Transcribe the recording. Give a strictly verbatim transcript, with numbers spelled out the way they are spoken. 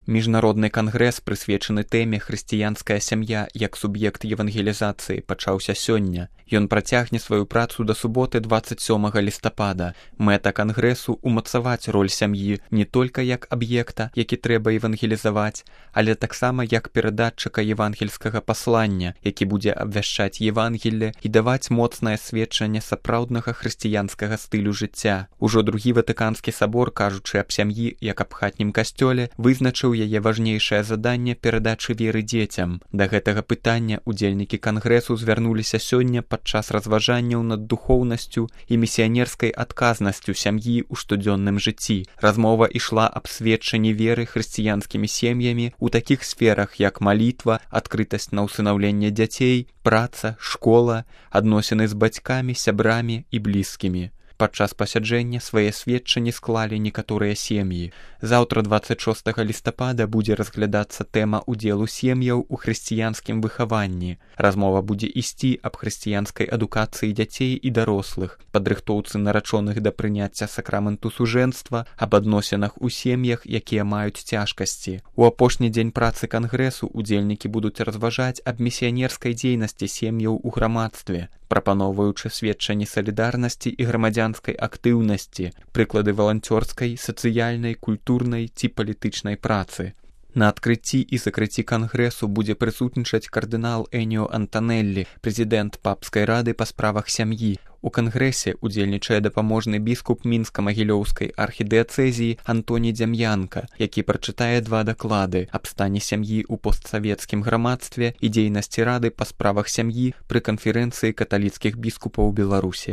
Міжнародны кангрэс, прысвечаны тэме «Хрысціянская сям'я як суб'ект евангелізацыі», пачаўся сёння. Ён працягне сваю працу да суботы дваццаць сёмага лістапада. Мэта кангрэсу – умацаваць роль сям'і не толькі як аб'екта, які трэба евангелізаваць, але таксама як перадатчыка евангельскага паслання, які будзе абвяшчаць Евангелле і даваць моцнае сведчанне сапраўднага хрысціянскага стылю жыцця. Ужо другі Ватыканскі сабор, кажучы аб сям'і як аб хатнім касцёле, вызначыў яе важнейшае заданне перадачы веры дзецям. Да гэтага пытання удзельнікі кангрэсу звярнуліся сёння падчас разважанняў над духоўнасцю і місіянерскай адказнасцю сям'і ў штодзённым жыцці. Размова ішла аб сведчанні веры хрысціянскімі сем'ямі ў такіх сферах, як малітва, адкрытасць на ўсынаўленне дзяцей, праца, школа, адносіны з бацькамі, сябрамі і блізкімі. Падчас пасяджэння свае сведчанні склалі некаторыя сем'і. Заўтра дваццаць шостага лістапада будзе разглядацца тэма ўдзелу сем'яў у хрысціянскім выхаванні. Размова будзе ісці аб хрысціянскай адукацыі дзяцей і дарослых, падрыхтоўцы нарачоных да прыняцця сакраменту сужэнства, аб адносінах у сем'ях, якія маюць цяжкасці. У апошні дзень працы кангрэсу удзельнікі будуць разважаць аб місіянерскай дзейнасці сем'яў у грамадстве, прапаноўваючы сведчанні салідарнасці і грамадзянскай актыўнасці, прыклады валанцёрскай, сацыяльнай, культурнай ці палітычнай працы. На адкрыцці і закрыцці кангрэсу будзе прысутнічаць кардынал Эніо Антанеллі, прэзідэнт папскай рады па справах сям'і. У кангрэсе удзельнічае дапаможны біскуп мінска-магілёўскай архідыяцэзіі Антоній Дзям'янка, які прачытае два даклады аб стане сям'і ў постсавецкім грамадстве і дзейнасці рады па справах сям'і пры канферэнцыі каталіцкіх біскупаў Беларусі.